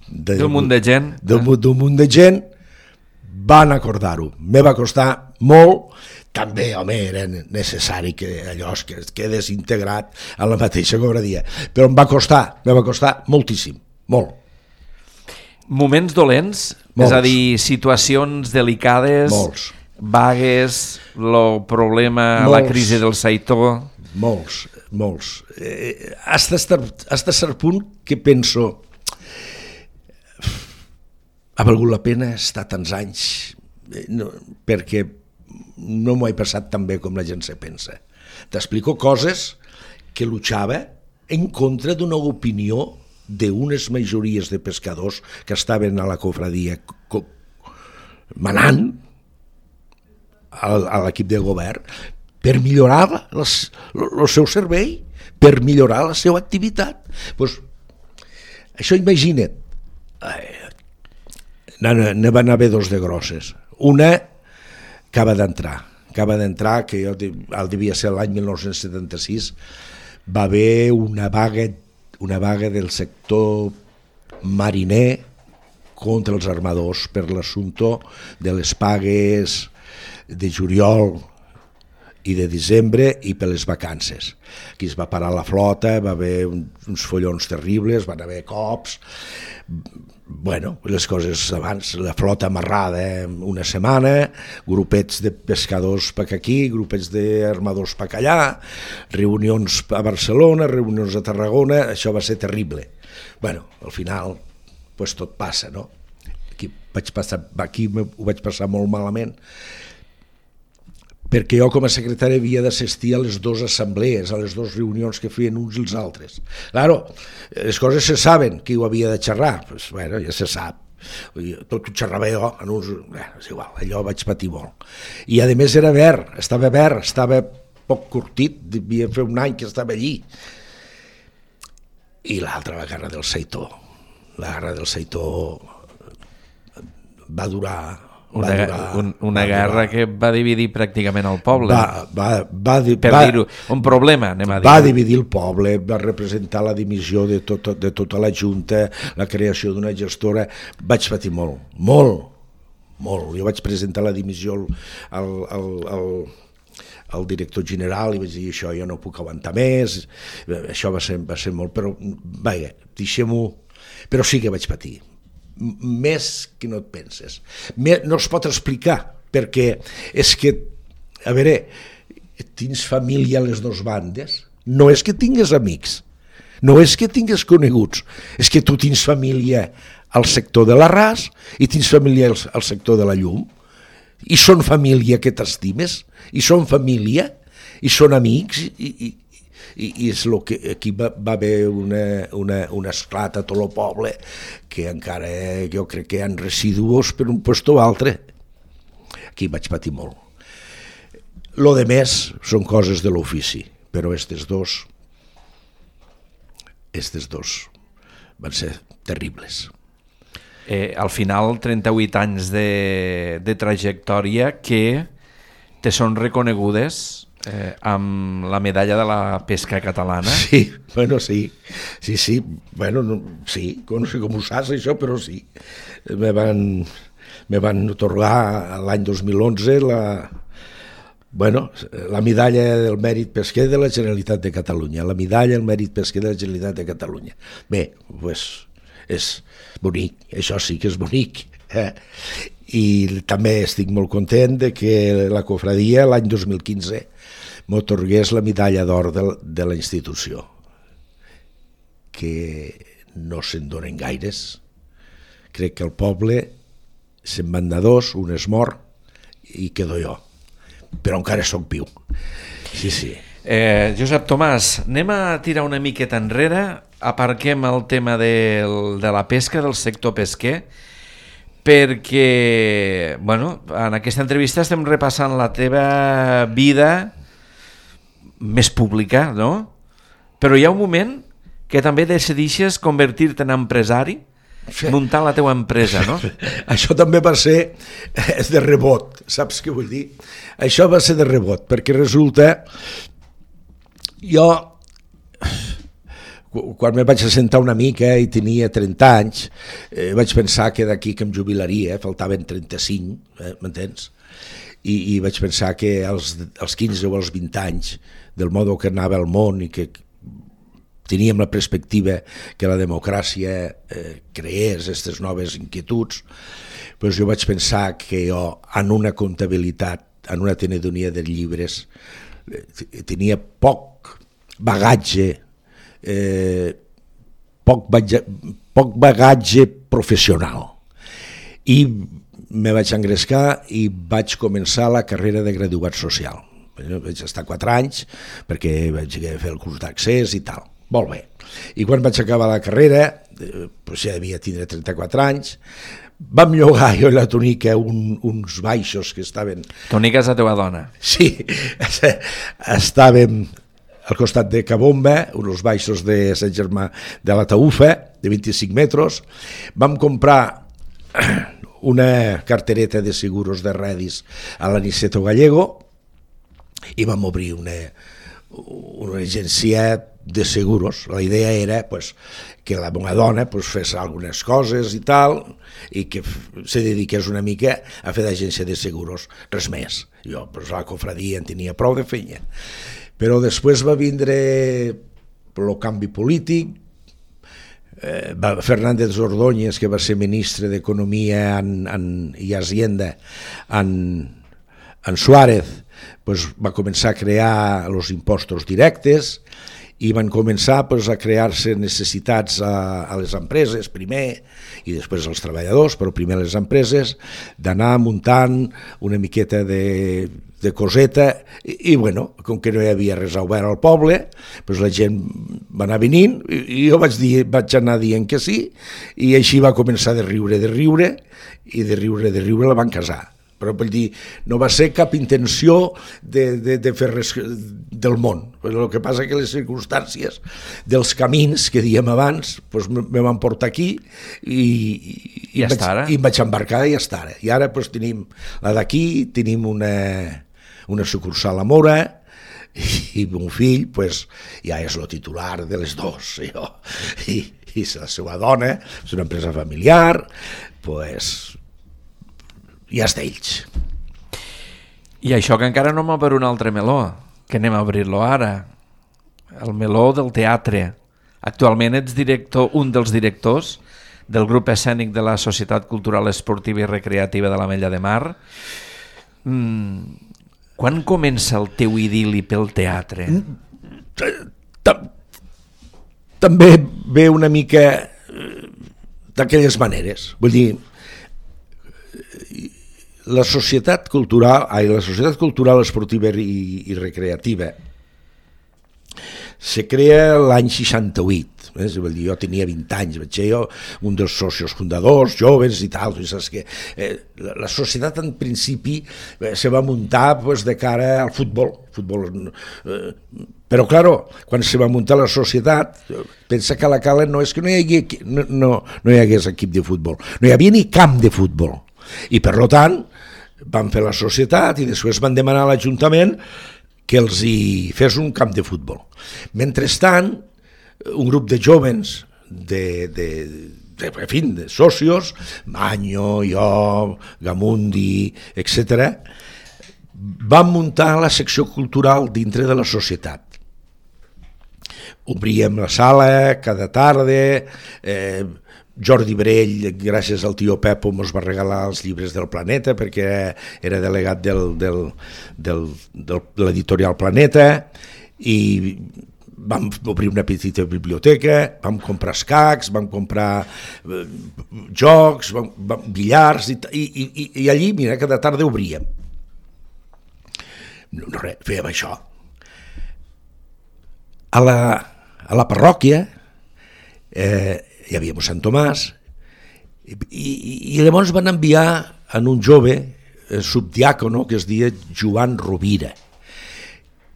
d'un munt de gent, d'un munt de gent, van acordar-ho. Me va costar molt, també, home, era necessari que allò es quedés integrat a la mateixa cofradia, però em va costar, me va costar moltíssim, molt. Moments dolents, molts. És a dir, situacions delicades, molts. Vagues, el problema, molts. La crisi del Saitó... Molts, molts. Eh, hasta, hasta cert punt que penso... Ha valgut la pena estar tants anys, no, perquè no m'ho he passat tan bé com la gent se pensa. T'explico coses que luchava en contra d'una opinió d'unes majories de pescadors que estaven a la cofradia manant a l'equip de govern per millorar les, el seu servei, per millorar la seva activitat. Pues, això imagina't, ne van haver dos de grosses. Una acaba d'entrar, acaba d'entrar, que jo, el devia ser l'any mil nou-cents setanta-sis, va haver una vaga, una vaga del sector mariner contra els armadors per l'assumpte de les pagues de juliol i de desembre i per les vacances. Aquí es va parar la flota, va haver uns follons terribles, van haver cops, bueno, les coses abans, la flota amarrada una setmana, grupets de pescadors per aquí, grupets d'armadors per allà, reunions a Barcelona, reunions a Tarragona, això va ser terrible. Bueno, al final, pues tot passa, no? Aquí, vaig passar, aquí ho vaig passar molt malament, perquè jo com a secretari havia d'assistir a les dues assemblees, a les dues reunions que feien uns i els altres. Claro, les coses se saben, qui ho havia de xerrar, pues, bueno, ja se sap. Tot ho xerrava jo, en uns... Bueno, és igual, allò vaig patir molt. I a més era verd, estava verd, estava poc curtit, devia fer un any que estava allí. I l'altra, la guerra del Seitó. La guerra del Seitó va durar... Una, durar, un, una guerra durar. que va dividir pràcticament el poble. Va, va, va, per va, dir-ho, un problema, anem a dir. Va dividir el poble, va representar la dimissió de, tot, de tota la Junta, la creació d'una gestora. Vaig patir molt, molt, molt. Jo vaig presentar la dimissió al, al, al, al director general i vaig dir això jo no puc aguantar més, això va ser, va ser molt, però vaja, deixem-ho, però sí que vaig patir. Més que no et penses. No es pot explicar, perquè és que, a veure, tens família a les dues bandes, no és que tingues amics, no és que tingues coneguts, és que tu tens família al sector de l'Arràs i tens família al sector de la Llum, i són família que t'estimes, i són família, i són amics, i... i I, i és el que aquí va, va haver una, una, una esclat a tot el poble que encara jo crec que hi ha residus per un lloc o altre. Aquí vaig patir molt. Lo de més són coses de l'ofici, però estes dos estes dos van ser terribles. Eh, al final, trenta-vuit anys de, de trajectòria que te són reconegudes Eh, amb la medalla de la pesca catalana. Sí, bueno, sí, sí, sí, bueno, no, sí, no sé com ho saps això, però sí. Me van, me van atorgar l'any dos mil onze la, bueno, la medalla del mèrit pesquer de la Generalitat de Catalunya, la medalla del mèrit pesquer de la Generalitat de Catalunya. Bé, pues, és bonic, això sí que és bonic. Eh? I també estic molt content de que la cofradia l'any dos mil quinze m'atorgués la medalla d'or de, de la institució, que no se'n donen gaires. Crec que el poble se'n van de dos, un és mort i quedo jo, però encara soc viu. Sí, sí. Eh, Josep Tomàs, anem a tirar una miqueta enrere, aparquem el tema del, de la pesca, del sector pesquer, perquè, bueno, en aquesta entrevista estem repassant la teva vida més pública, no? Però hi ha un moment que també decideixes convertir-te en empresari, muntar la teua empresa, no? Això també va ser de rebot, saps què vull dir? Això va ser de rebot, perquè resulta, jo, quan me vaig assentar una mica i tenia trenta anys, eh, vaig pensar que d'aquí que em jubilaria, faltaven trenta-cinc, eh, m'entens? I, i vaig pensar que als, als quinze o als vint anys, del modo que anava el món i que teníem la perspectiva que la democràcia eh, creés aquestes noves inquietuds, doncs jo vaig pensar que jo en una comptabilitat, en una tenedonia de llibres, eh, tenia poc bagatge, eh, poc, bagatge, poc bagatge professional. I me vaig engrescar i vaig començar la carrera de graduat social. Vaig estar quatre anys perquè vaig fer el curs d'accés i tal. Molt bé. I quan vaig acabar la carrera, eh, doncs ja devia tindre trenta-quatre anys, vam llogar jo i la Tonica un, uns baixos que estaven... Tonica és la teva dona. Sí, estàvem al costat de Cabomba, uns baixos de Sant Germà de la Taufa, de vint-i-cinc metres. Vam comprar una cartereta de seguros de redis a l'Aniceto Gallego i vam obrir una, una agència de seguros. La idea era pues, que la meva dona pues, fes algunes coses i tal, i que se dediqués una mica a fer d'agència de seguros, res més. Jo pues, a la cofradia en tenia prou de feina. Però després va vindre el canvi polític, eh, Fernández Ordóñez, que va ser ministre d'Economia en, en, i Hacienda en, en Suárez, pues, va començar a crear els impostos directes, i van començar pues, a crear-se necessitats a, a les empreses primer i després als treballadors, però primer a les empreses, d'anar muntant una miqueta de, de coseta i, i bueno, com que no hi havia res obert al poble, pues, la gent va anar venint i, i jo vaig, dir, vaig anar dient que sí, i així va començar de riure, de riure, i de riure, de riure la van casar. Però vull dir, no va ser cap intenció de, de, de fer res del món. Però el que passa que les circumstàncies dels camins que dèiem abans pues, me van portar aquí i, i, i, vaig, i em vaig embarcar i ja està ara. I ara pues, tenim la d'aquí, tenim una, una sucursal a Mora i mon fill pues, ja és el titular de les dos. Jo. I, i la seva dona, és una empresa familiar, pues, ja és d'ells. I això que encara no m'ha per un altre meló, que anem a obrir-lo ara, el meló del teatre. Actualment ets director, un dels directors del grup escènic de la Societat Cultural Esportiva i Recreativa de l'Ametlla de Mar. Mm, quan comença el teu idil·li pel teatre? També ve una mica d'aquelles maneres. Vull dir, la societat cultural, ai, la societat cultural esportiva i, i recreativa se crea l'any seixanta-vuit, eh? Vull dir, jo tenia vint anys, vaig ser jo un dels socios fundadors, joves i tal, saps que eh, la, la societat en principi eh, se va muntar pues, de cara al futbol, futbol eh, però claro, quan se va muntar la societat, pensa que a la Cala no és que no hi hagués, no, no, no hi hagués equip de futbol, no hi havia ni camp de futbol. I per tant van fer la societat i després van demanar a l'Ajuntament que els hi fes un camp de futbol. Mentrestant, un grup de jóvens, de, de, de, en fi, de socios, Maño, jo, Gamundi, etcètera, van muntar la secció cultural dintre de la societat. Obríem la sala cada tarda, eh, Jordi Brell, gràcies al tio Pepo, ens va regalar els llibres del Planeta perquè era delegat del, del, del, de l'editorial Planeta i vam obrir una petita biblioteca, vam comprar escacs, vam comprar eh, jocs, vam, vam, billars i, i, i, i allí, mira, cada tarda obríem. No, no res, fèiem això. A la, a la parròquia eh, hi havia Sant Tomàs i, i, i llavors van enviar en un jove eh, subdiàcono que es deia Joan Rovira,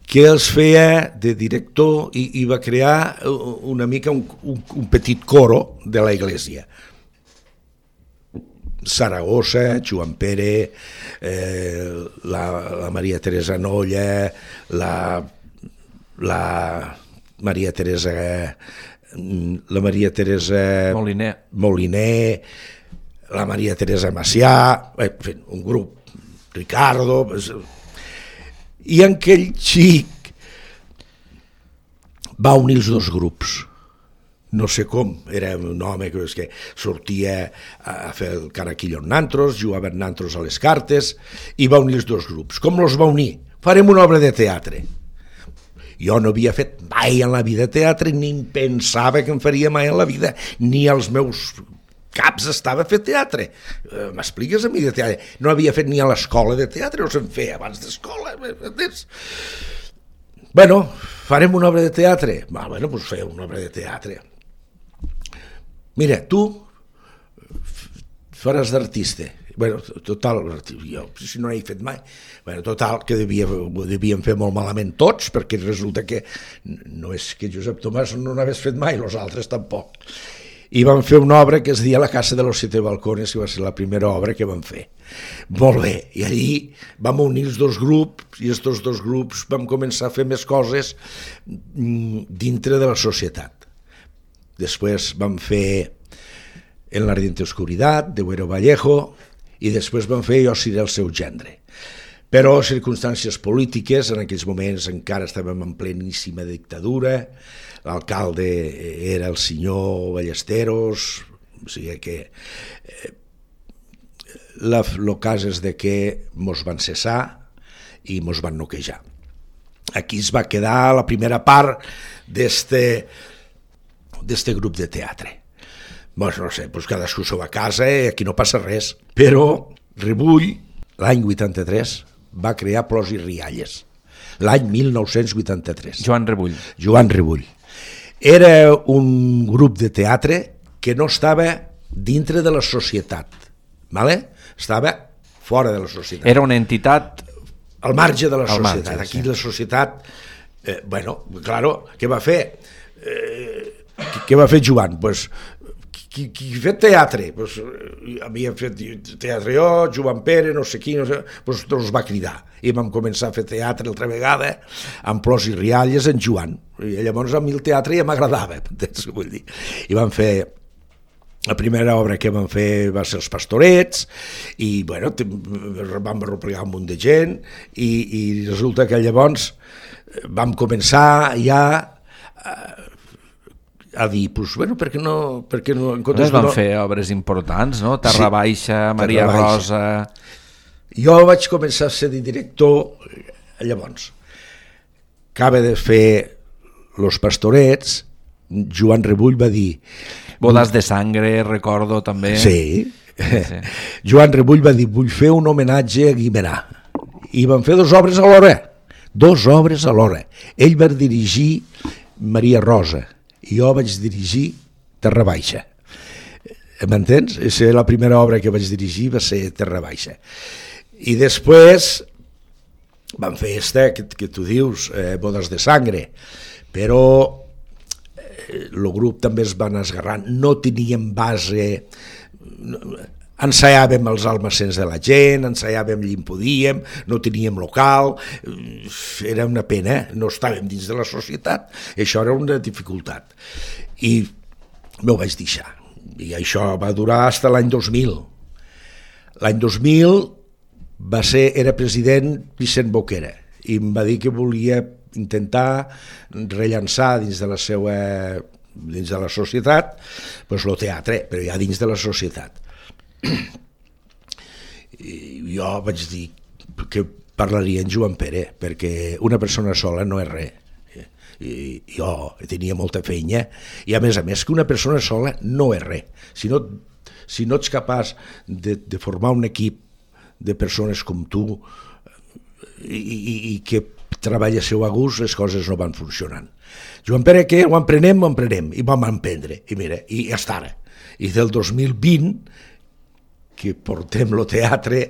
que els feia de director i, i va crear una mica un, un, un petit coro de la iglesia. Saragossa, Joan Pere, eh, la, la Maria Teresa Nolla, la, la Maria Teresa... la Maria Teresa Moliner, Moliner la Maria Teresa Macià, un grup, Ricardo, i aquell xic va unir els dos grups, no sé com, era un home que, que sortia a fer el caraquillo en nantros, jugava en nantros a les cartes, i va unir els dos grups. Com els va unir? Farem una obra de teatre. Jo no havia fet mai en la vida teatre, ni pensava que em faria mai en la vida, ni als meus caps estava a fer teatre. Eh, M'expliques a mi de teatre? No havia fet ni a l'escola de teatre, no se'n feia abans d'escola. Bueno, farem una obra de teatre? Va, bueno, doncs feu una obra de teatre. Mira, tu faràs d'artista. Bueno, total, jo, si no he fet mai, bueno, total, que devia, ho devien fer molt malament tots, perquè resulta que no és que Josep Tomàs no n'hagués fet mai, els altres tampoc. I van fer una obra que es deia La casa de los siete balcones, que va ser la primera obra que van fer. Molt bé, i allí vam unir els dos grups i aquests dos grups vam començar a fer més coses dintre de la societat. Després vam fer En l'ardiente oscuridad, de Güero Vallejo, i després vam fer Jo seré el seu gendre. Però circumstàncies polítiques, en aquells moments encara estàvem en pleníssima dictadura, l'alcalde era el senyor Ballesteros, o sigui que eh, la, el cas és de que mos van cessar i mos van noquejar. Aquí es va quedar la primera part d'este d'este grup de teatre. Doncs no sé, doncs cadascú s'ho va a casa i aquí no passa res. Però Rebull, l'any vuitanta-tres, va crear Plors i Rialles. L'any mil nou-cents vuitanta-tres. Joan Rebull. Joan Rebull. Era un grup de teatre que no estava dintre de la societat, ¿vale? Estava fora de la societat. Era una entitat... Al marge de la societat. Marge, aquí sí. La societat, eh, bueno, claro, què va fer? Eh, què va fer Joan? Pues, qui, qui ha fet teatre? Pues, havia fet teatre jo, Joan Pere, no sé qui, no sé, pues, doncs va cridar. I vam començar a fer teatre altra vegada, amb Plors i Rialles, en Joan. I llavors a mi el teatre ja m'agradava, entens què vull dir? I vam fer... La primera obra que vam fer va ser Els Pastorets i bueno, vam replegar un munt de gent i, i resulta que llavors vam començar ja a, a dir, pues, bueno, per què no... Per què no, en es van no... fer obres importants, no? Terra sí, Baixa, Maria Terra Rosa... Baixa. Jo vaig començar a ser director llavors. Acaba de fer Los Pastorets, Joan Rebull va dir... Bodas de Sangre, recordo també. Sí. sí. Joan Rebull va dir, vull fer un homenatge a Guimerà. I van fer dues obres alhora. Dues obres alhora. Ell va dirigir Maria Rosa i jo vaig dirigir Terra Baixa. M'entens? La primera obra que vaig dirigir va ser Terra Baixa. I després van fer esta que, que tu dius, eh, Bodas de Sangre, però el grup també es va anar esgarrant, no teníem base, ensaiàvem els almacens de la gent, ensaiàvem allí on podíem, no teníem local, era una pena, no estàvem dins de la societat, això era una dificultat. I m'ho vaig deixar, i això va durar fins a l'any dos mil. L'any dos mil va ser, era president Vicent Boquera, i em va dir que volia intentar rellançar dins de la seva dins de la societat pues, el teatre, però ja dins de la societat. I jo vaig dir que parlaria en Joan Pere, perquè una persona sola no és res. I jo tenia molta feina, i a més a més que una persona sola no és res. Si no, si no ets capaç de, de formar un equip de persones com tu i, i, i que treballa a seu a gust, les coses no van funcionant. Joan Pere, què? Ho emprenem, ho emprenem, i vam emprendre, i mira, i ja està ara. I del dos mil vint, que portem el teatre,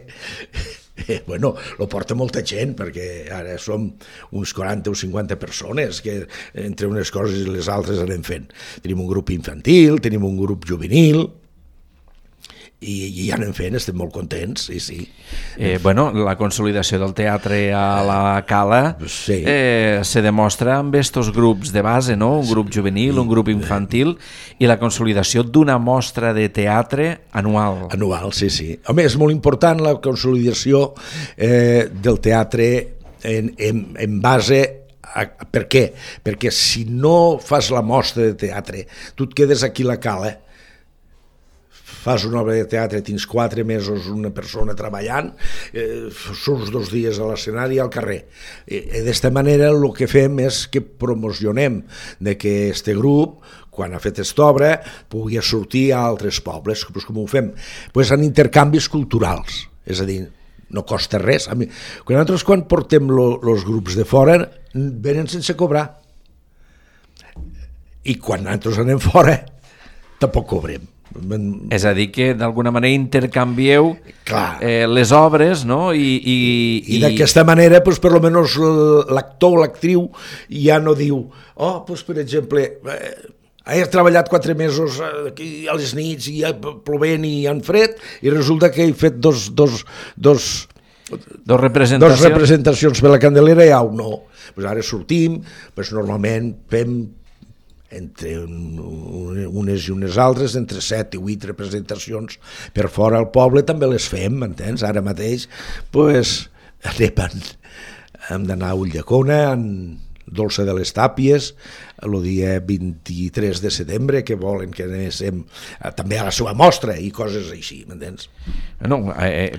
eh, bueno, lo porta molta gent, perquè ara som uns quaranta o cinquanta persones que entre unes coses i les altres anem fent. Tenim un grup infantil, tenim un grup juvenil, i, i ja anem fent, estem molt contents, sí, sí. Eh, bueno, la consolidació del teatre a la Cala sí. eh, se demostra amb estos grups de base, no? Un grup juvenil, un grup infantil i la consolidació d'una mostra de teatre anual. Anual, sí, sí. Home, és molt important la consolidació eh, del teatre en, en, en base a, per què? Perquè si no fas la mostra de teatre, tu et quedes aquí a la Cala, fas una obra de teatre, tens quatre mesos una persona treballant, eh, surts dos dies a l'escenari i al carrer. Eh, D'esta manera el que fem és que promocionem de que este grup, quan ha fet aquesta obra, pugui sortir a altres pobles. Pues com ho fem? Pues en intercanvis culturals, és a dir, no costa res. A mi, quan nosaltres quan portem els grups de fora, venen sense cobrar. I quan nosaltres anem fora, tampoc cobrem. És a dir, que d'alguna manera intercanvieu eh, les obres, no? I, i, i d'aquesta manera, pues, per almenys l'actor o l'actriu ja no diu, oh, pues, per exemple, eh, he treballat quatre mesos aquí a les nits i plovent i en fred i resulta que he fet dos, dos, dos, dos, representacions. dos representacions per la Candelera i au, no. Pues ara sortim, pues normalment fem entre unes i unes altres, entre set i vuit representacions per fora al poble, també les fem, m'entens? Ara mateix, pues, anem, hem d'anar a Ulldecona, en Dolça de les Tàpies, el dia vint-i-tres de setembre, que volen que anéssim també a la seva mostra i coses així, m'entens? No, eh,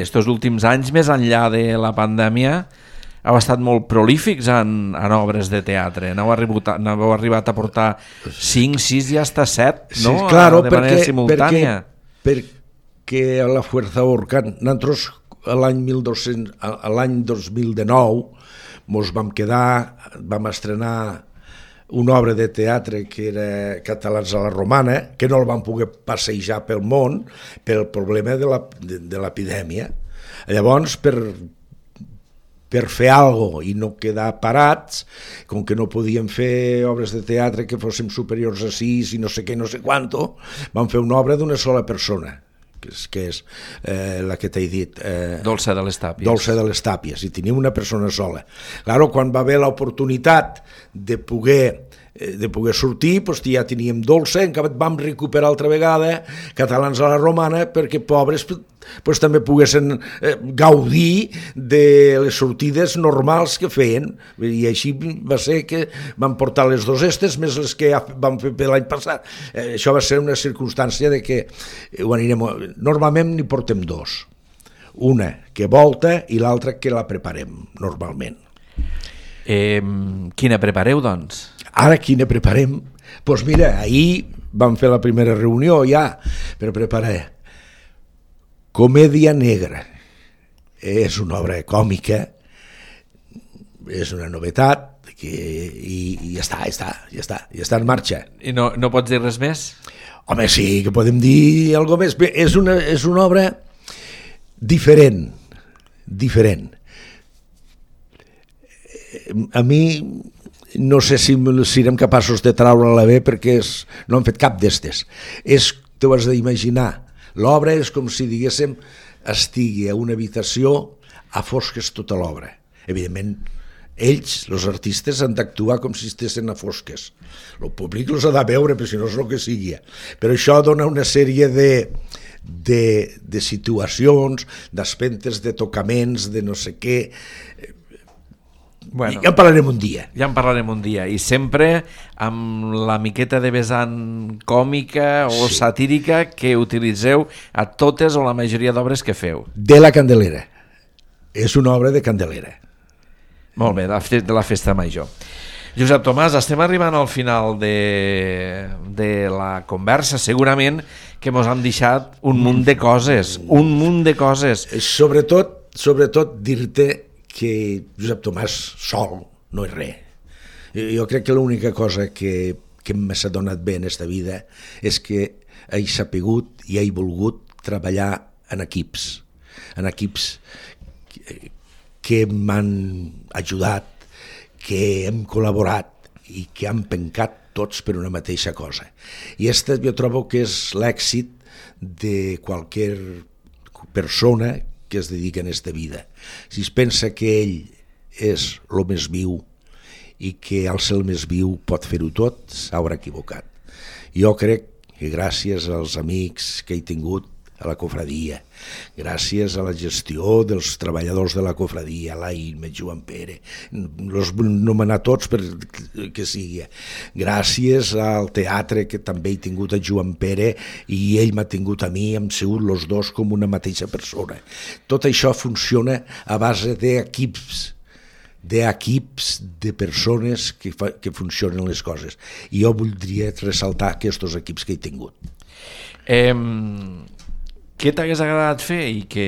estos últims anys, més enllà de la pandèmia, heu estat molt prolífics en, en obres de teatre. N'heu arribat, n'heu arribat a portar cinc, sis i hasta set, no? Sí, claro, de manera perquè, simultània. Perquè, perquè a la Fuerza Orcán, nosaltres l'any l'any dos mil dinou mos vam quedar, vam estrenar una obra de teatre que era Catalans a la Romana, que no el vam poder passejar pel món pel problema de, la, de, de l'epidèmia. Llavors, per, per fer alguna cosa i no quedar parats, com que no podíem fer obres de teatre que fóssim superiors a sis i no sé què, no sé quanto, vam fer una obra d'una sola persona, que és, que és eh, la que t'he dit, eh, Dolça de les Tàpies. Dolça de les Tàpies, i tenim una persona sola. Claro, quan va haver l'oportunitat de poder, de poder sortir, doncs ja teníem Dolça, encara vam recuperar altra vegada Catalans a la Romana, perquè pobres doncs, també poguessin eh, gaudir de les sortides normals que feien, i així va ser que vam portar les dos estes més les que ja vam fer l'any passat. Eh, això va ser una circumstància de que ho anirem, normalment n'hi portem dos, una que volta i l'altra que la preparem normalment. Eh, quina prepareu, doncs? Ara quina preparem? Doncs pues mira, ahir vam fer la primera reunió ja per preparar Comèdia Negra. És una obra còmica, és una novetat que, i, i ja està, ja està, ja està, ja està en marxa. I no, no pots dir res més? Home, sí, que podem dir alguna més. Bé, és una, és una obra diferent, diferent. A mi no sé si serem capaços de treure-la bé perquè és, no hem fet cap d'estes. És, t'ho has d'imaginar, l'obra és com si, diguéssim, estigui a una habitació a fosques tota l'obra. Evidentment, ells, els artistes, han d'actuar com si estessin a fosques. El públic els ha de veure, però si no és el que sigui. Però això dona una sèrie de, de, de situacions, d'aspectes, de tocaments, de no sé què. Bueno, ja en parlarem un dia. Ja en parlarem un dia. I sempre amb la miqueta de vessant còmica o sí. satírica que utilitzeu a totes o la majoria d'obres que feu. De la Candelera. És una obra de Candelera. Molt bé, de la Festa Major. Josep Tomàs, estem arribant al final de, de la conversa. Segurament que mos han deixat un munt de coses, un munt de coses. Sobretot, sobretot dir-te que Josep Tomàs sol no és res. Jo crec que l'única cosa que, que m'ha donat bé en aquesta vida és que he sapigut i he volgut treballar en equips, en equips que, que m'han ajudat, que hem col·laborat i que han pencat tots per una mateixa cosa. I aquest jo trobo que és l'èxit de qualsevol persona que es dedica en aquesta vida. Si es pensa que ell és el més viu i que al ser el més viu pot fer-ho tot, s'haurà equivocat. Jo crec que gràcies als amics que he tingut a la cofradia, gràcies a la gestió dels treballadors de la cofradia, l'Aim, el Joan Pere, els vull nomenar tots perquè sigui, gràcies al teatre que també he tingut a Joan Pere i ell m'ha tingut a mi, hem sigut els dos com una mateixa persona. Tot això funciona a base d'equips, d'equips de persones que, fa, que funcionen les coses. I jo voldria ressaltar aquests equips que he tingut. Eh... Què t'hagués agradat fer i que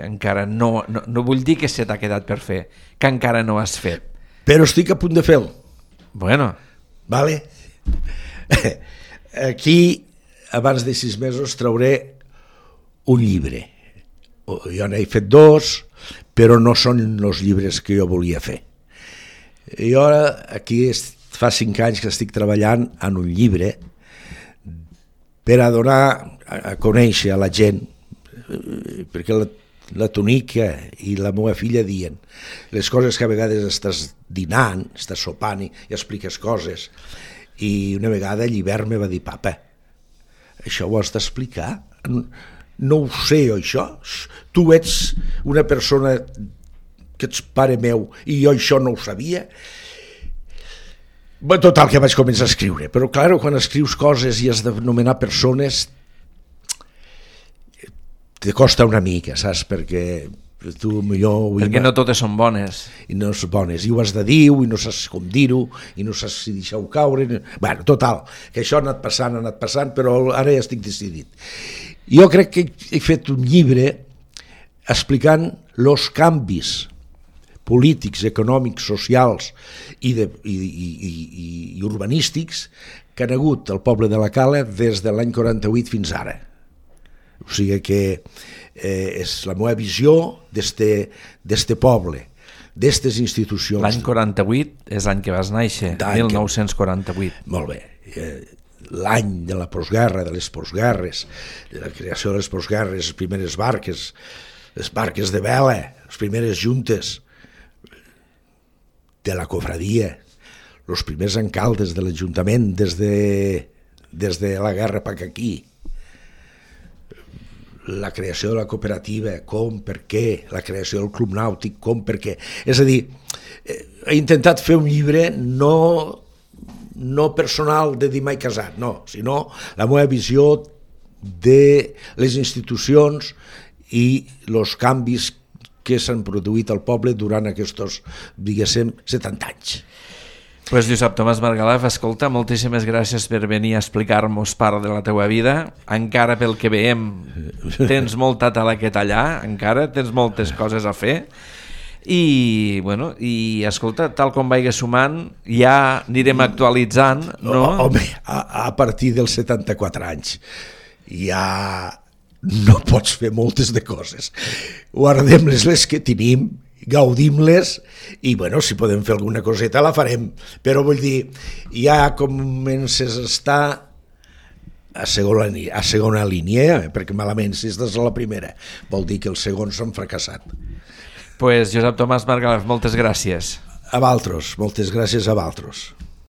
encara no, no, no vull dir que se t'ha quedat per fer, que encara no has fet? Però estic a punt de fer-lo. Bueno. Vale? Aquí, abans de sis mesos, trauré un llibre. Jo n'he fet dos, però no són els llibres que jo volia fer. Jo ara aquí fa cinc anys que estic treballant en un llibre per a donar a conèixer a la gent, perquè la, la Tonica i la meva filla diuen les coses que a vegades estàs dinant, estàs sopant i expliques coses, i una vegada Llibert me va dir: papa, això ho has d'explicar? No ho sé, això? Tu ets una persona que ets pare meu i jo això no ho sabia? Bé, total, que vaig començar a escriure, però clar, quan escrius coses i has de nomenar persones te costa una mica, saps? Perquè tu millor... Perquè no totes són bones. I no són bones, i ho has de dir, i no saps com dir-ho, i no saps si deixar-ho caure... Bueno, total, que això ha anat passant, ha anat passant, però ara ja estic decidit. Jo crec que he fet un llibre explicant els canvis polítics, econòmics, socials i, de, i, i, i, i urbanístics que han hagut al poble de la Cala des de l'any quaranta-vuit fins ara. O sigui que eh, és la meva visió d'este poble, d'estes institucions. L'any quaranta-vuit és l'any que vas néixer, mil nou-cents quaranta-vuit. Que... Molt bé. Eh, l'any de la postguerra, de les postguerres, de la creació de les postguerres, les primeres barques, les barques de vela, les primeres juntes de la cofradia, els primers alcaldes de l'Ajuntament des de, des de la guerra pa aquí, la creació de la cooperativa, com, per què, la creació del club nàutic, com, per què. És a dir, he intentat fer un llibre no, no personal de dir mai casat, no, sinó la meva visió de les institucions i els canvis que s'han produït al poble durant aquests, diguéssim, setanta anys. Pues Josep Tomàs Margalef, escolta, moltíssimes gràcies per venir a explicar-nos part de la teua vida. Encara pel que veiem tens molta tela que tallar, encara tens moltes coses a fer. I, bueno, i escolta, tal com vagi sumant, ja anirem actualitzant, no? Home, a, a partir dels setanta-quatre anys ja no pots fer moltes de coses. Guardem-les les que tenim, gaudim-les i, bueno, si podem fer alguna coseta la farem, però vull dir, ja comences a estar a segona, a segona línia, perquè malament si estàs a la primera vol dir que els segons s'han fracassat. Pues Josep Tomàs Margalef, moltes gràcies. A vosaltres, moltes gràcies a vosaltres.